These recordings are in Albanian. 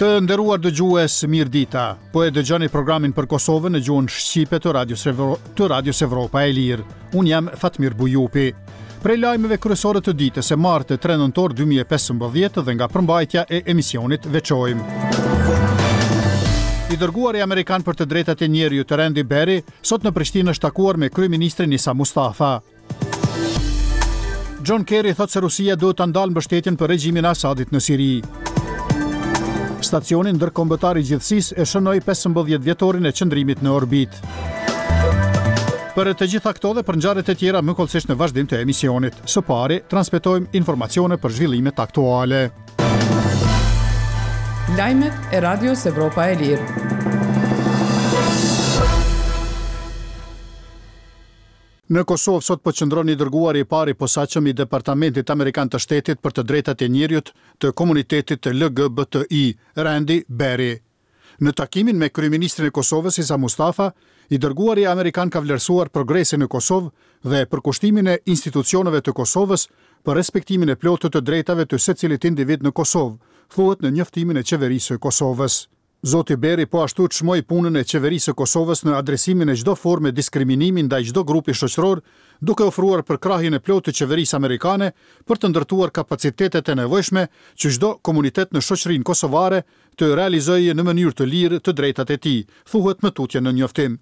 Të nderuar dëgjues, mirëdita. Po e dëgjoni programin për Kosovën në gjuhën shqipe të Radios Evro, të Radios Evropa e Lirë. Unë jam Fatmir Bujupi. Prej lajmeve kryesore të ditës së martë 3 nëntor 2015 dhe nga përmbajtja e emisionit veçojmë. I dërguari amerikan për të drejtat e njeriut Randy Berry sot në Prishtinë është takuar me kryeministrin Isa Mustafa. John Kerry thotë se Rusia duhet ta ndalë mbështetjen për regjimin e Asadit në Siri. Stacioni ndërkombëtar i gjithësisë e shënoi 15 vjetorin e qëndrimit në orbitë. Për të gjitha këto dhe për ngjarjet e tjera më hollësisht në vazhdim të emisionit. Së pari, transmetojmë informacione për zhvillimet aktuale. Lajmet e Radios Evropa e Lirë. Në Kosovë sot po qëndron i dërguari i parë i posaçëm i Departamentit Amerikan të Shtetit për të Drejtat e Njeriut të komunitetit LGBTI, Randy Berry. Në takimin me kryeministrin e Kosovës, Isa Mustafa, i dërguari amerikan ka vlerësuar progresin në Kosovë dhe përkushtimin e institucioneve të Kosovës për respektimin e plotë të të drejtave të secilit individ në Kosovë, thuhet në njoftimin e Qeverisë së Kosovës. Zoti Berry po ashtu çmoi punën e Qeverisë së Kosovës në adresimin e çdo forme diskriminimi ndaj çdo grupi shoqëror, duke ofruar përkrahjen e plotë të qeverisë amerikane për të ndërtuar kapacitetet e nevojshme që çdo komunitet në shoqërinë kosovare të realizojë në mënyrë të lirë të drejtat e tij, thuhet më tutje në njoftim.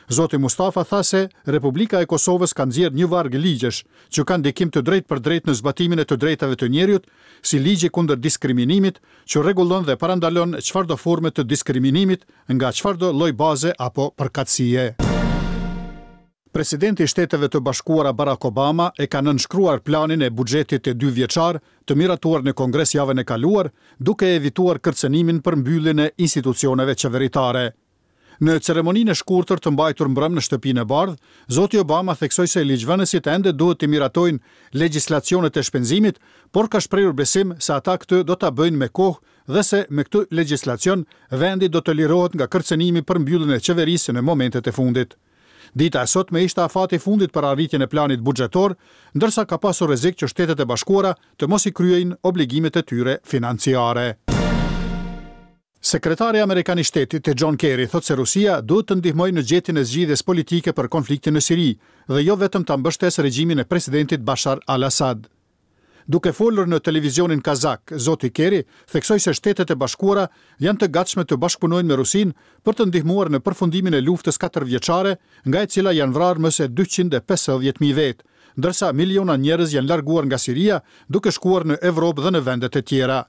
Zoti Mustafa tha se Republika e Kosovës ka nxjerrë një varg ligjesh që kanë ndikim të drejtpërdrejtë në zbatimin e të drejtave të njeriut, si Ligji kundër diskriminimit, që rregullon dhe parandalon çfarëdo forme të diskriminimit nga çfarëdo lloj baze apo përkatësie. Presidenti i Shteteve të Bashkuara Barack Obama e ka nënshkruar planin e buxhetit dyvjeçar të miratuar në Kongres javën e kaluar, duke evituar kërcënimin për mbylljen e institucioneve qeveritare. Në ceremoninë e shkurtër të mbajtur mbrëmë në Shtëpinë e Bardhë, zoti Obama theksoi se ligjvënësit ende duhet t'i miratojnë legjislacionet e shpenzimit, por ka shprehur besim se ata këtë do ta bëjnë me kohë dhe se me këtë legjislacion vendi do të lirohet nga kërcënimi për mbylljen e qeverisë në momentet e fundit. Dita e sotme ishte afati i fundit për arritjen e planit buxhetor, ndërsa ka pasur rrezik që Shtetet e Bashkuara të mos i kryejnë obligimet e tyre financiare. Sekretari amerikan i Shtetit, John Kerry, thotë se Rusia duhet të ndihmojë në gjetjen e zgjidhjes politike për konfliktin në Siri dhe jo vetëm ta mbështesë regjimin e presidentit Bashar al-Assad. Duke folur në televizionin kazak, zoti Kerry theksoi se Shtetet e Bashkuara janë të gatshme të bashkëpunojnë me Rusinë për të ndihmuar në përfundimin e luftës katërvjeçare, nga e cila janë vrarë më se 250,000 vetë, ndërsa miliona njerëz janë larguar nga Siria duke shkuar në Evropë dhe në vendet e tjera.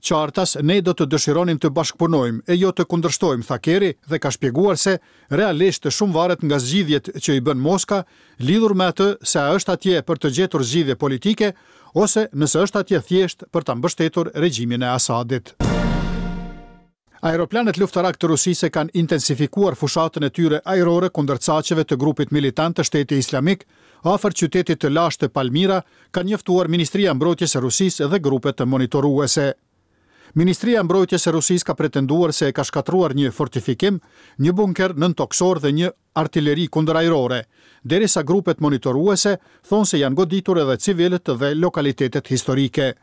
Qartas, ne do të dëshironim të bashkëpunojmë, e jo të kundërshtojmë, tha Kerry dhe ka shpjeguar se realisht shumë varet nga zgjidhjet që i bën Moska lidhur me atë se a është atje për të gjetur zgjidhje politike ose nëse është atje thjesht për ta mbështetur regjimin e Asadit. Aeroplanët luftarakë të Rusisë e kanë intensifikuar fushatën e tyre ajrore kundër caqeve të grupit militant të Shteti Islamik afër qytetit të lashtë të Palmira, ka njoftuar Ministria e Mbrojtjes e Rusisë dhe grupet monitoruese. Ministria e Mbrojtjes e Rusisë ka pretenduar se e ka shkatërruar një fortifikim, një bunker nëntokësor dhe një artileri kundërajrore, derisa grupet monitoruese thonë se janë goditur edhe civilët dhe lokalitetet historike.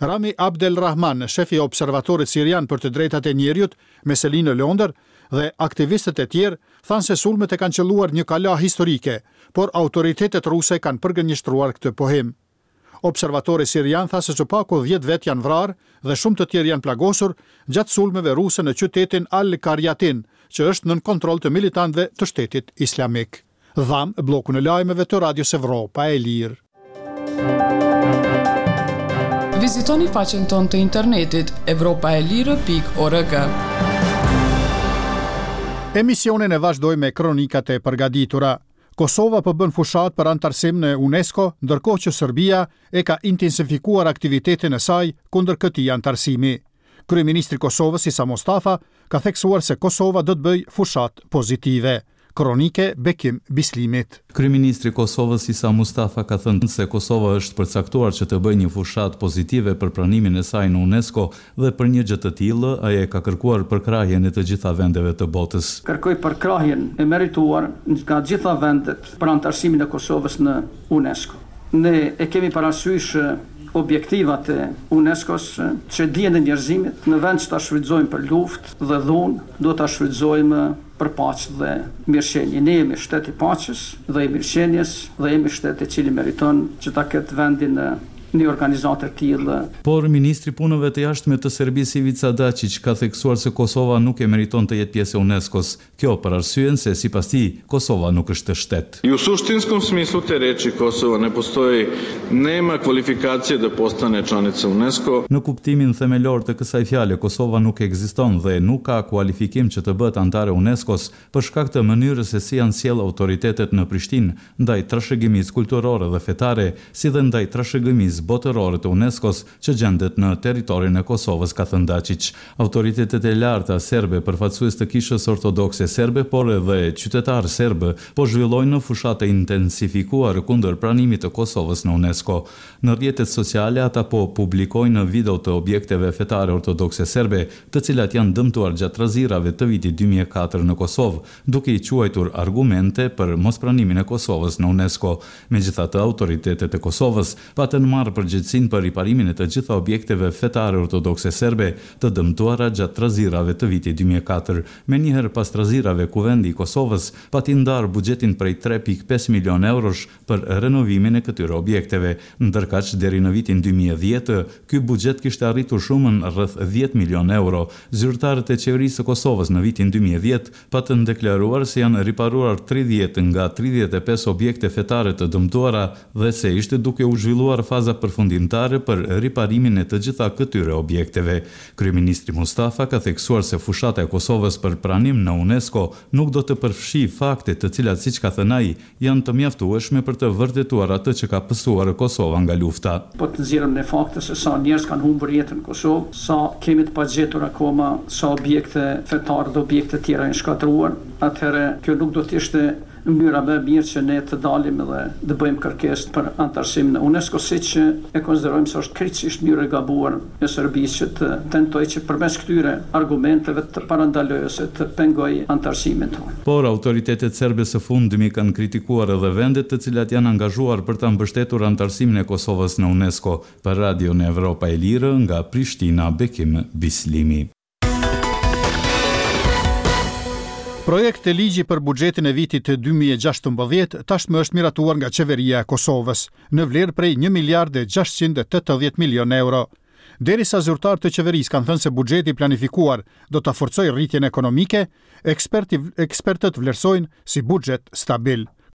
Rami Abdel Rahman, shefi i Observatorit Sirian për të Drejtat e Njeriut, me seli në Londër, dhe aktivistët e tjerë, thanë se sulmet e kanë qëlluar një kala historike, por autoritetet ruse kanë përgënjeshtruar këtë pohim. Observatori sirian tha se së paku dhjetë vetë janë vrarë dhe shumë të tjerë janë plagosur gjatë sulmeve ruse në qytetin Al-Qaryatin, që është nën kontroll të militantëve të Shtetit Islamik. Dhamë bllokun e lajmeve të Radios Evropa e Lirë. Vizitoni faqen tonë të internetit evropaelire.org. Emisionin e vazhdojmë me kronikat e përgatitura. Kosova po bën fushatë për anëtarësim në UNESCO, ndërkohë që Serbia e ka intensifikuar aktivitetin e saj kundër këtij anëtarësimi. Kryeministri i Kosovës, Isa Mustafa, ka theksuar se Kosova do të bëjë fushatë pozitive. Kronikë e Bekim Bislimit. Kryeministri i Kosovës, Isa Mustafa ka thënë se Kosova është përcaktuar që të bëjë një fushatë pozitive për pranimin e saj në UNESCO dhe për një gjë të tillë, ai e ka kërkuar përkrahjen e të gjitha vendeve të botës. Kërkoj përkrahjen e merituar nga gjitha vendet për anëtarësimin e Kosovës në UNESCO. Ne e kemi parasysh objektivat e UNESCO-s që dijen e njerëzimit, në vend që ta shfrytëzojmë për luftë dhe dhunë, duhet ta shfrytëzojmë për paqe dhe mirëqenie. Ne jemi shtet i paqes dhe i mirëqenies dhe jemi shtet i cili meriton që ta ketë vendin në një organizatë të tillë. Por, ministri i Punëve të Jashtme të Serbisë Ivica Daçiq ka theksuar se Kosova nuk e meriton të jetë pjesë e UNESCO-s. Kjo për arsyen se, sipas tij, Kosova nuk është shtet. I u suštinskom smislu te reči Kosova ne postoji, nema kvalifikacije da postane članica UNESCO. Në kuptimin themelor të kësaj fjale, Kosova nuk ekziston dhe nuk ka kualifikim që të bëhet anëtare e UNESCO-s, për shkak të mënyrës se si janë sjellë autoritetet në Prishtinë ndaj trashëgimisë kulturore dhe fetare, si dhe ndaj trashëgimisë botërore të UNESCO-s që gjendet në territorin e Kosovës, ka thënë Daçiq. Autoritetet e larta serbe, përfaqësues të Kishës Ortodokse Serbe, por edhe qytetarë serbë, po zhvillojnë fushatë të intensifikuar kundër pranimit të Kosovës në UNESCO. Në rrjetet sociale ata po publikojnë video të objekteve fetare ortodokse serbe, të cilat janë dëmtuar gjatë trazirave të vitit 2004 në Kosovë, duke i quajtur argumente për mospranimin e Kosovës në UNESCO. Megjithatë, autoritetet e Kosovës patën marrë përgjegjësinë për riparimin e të gjitha objekteve fetare ortodokse serbe të dëmtuara gjatë trazirave të vitit 2004. Menjëherë pas trazirave, Kuvendi i Kosovës pati ndarë buxhetin prej 3,5 milionë eurosh për renovimin e këtyre objekteve. Ndërkaq, deri në vitin 2010, ky buxhet kishte arritur shumën rreth 10 milionë euro. Zyrtarët e Qeverisë së Kosovës në vitin 2010 patën deklaruar se janë riparuar 30 nga 35 objekte fetare të dëmtuara dhe se ishte duke u zhvilluar faza përfundimtare për riparimin e të gjitha këtyre objekteve. Kryeministri Mustafa ka theksuar se fushata e Kosovës për pranim në UNESCO nuk do të përfshijë fakte të cilat, siç ka thënë ai, janë të mjaftueshme për të vërtetuar atë që ka pësuar Kosova nga lufta. Po të nxjerrim ne fakte se sa njerëz kanë humbur jetën në Kosovë, sa kemi të pagjetur akoma, sa objekte fetare dhe objekte tjera janë shkatërruar, atëherë kjo nuk do të ishte mënyra më e mirë që ne të dalim dhe të bëjmë kërkesë për anëtarësim në UNESCO, siç e konsiderojmë se është krejtësisht mënyrë e gabuar e Serbisë që të tentojë që përmes këtyre argumenteve të parandalojë ose të pengojë anëtarësimin tonë. Por, autoritetet serbe së fundmi kanë kritikuar edhe vendet të cilat janë angazhuar për ta mbështetur anëtarësimin e Kosovës në UNESCO. Për Radion Evropa e Lirë, nga Prishtina, Bekim Bislimi. Projektligji për buxhetin e vitit 2016 tashmë është miratuar nga Qeveria e Kosovës, në vlerë prej 1 miliard e 680 milion euro. Derisa zyrtarë të qeverisë kanë thënë se buxheti i planifikuar do ta forcojë rritjen ekonomike, eksperti, ekspertët vlerësojnë si buxhet stabil.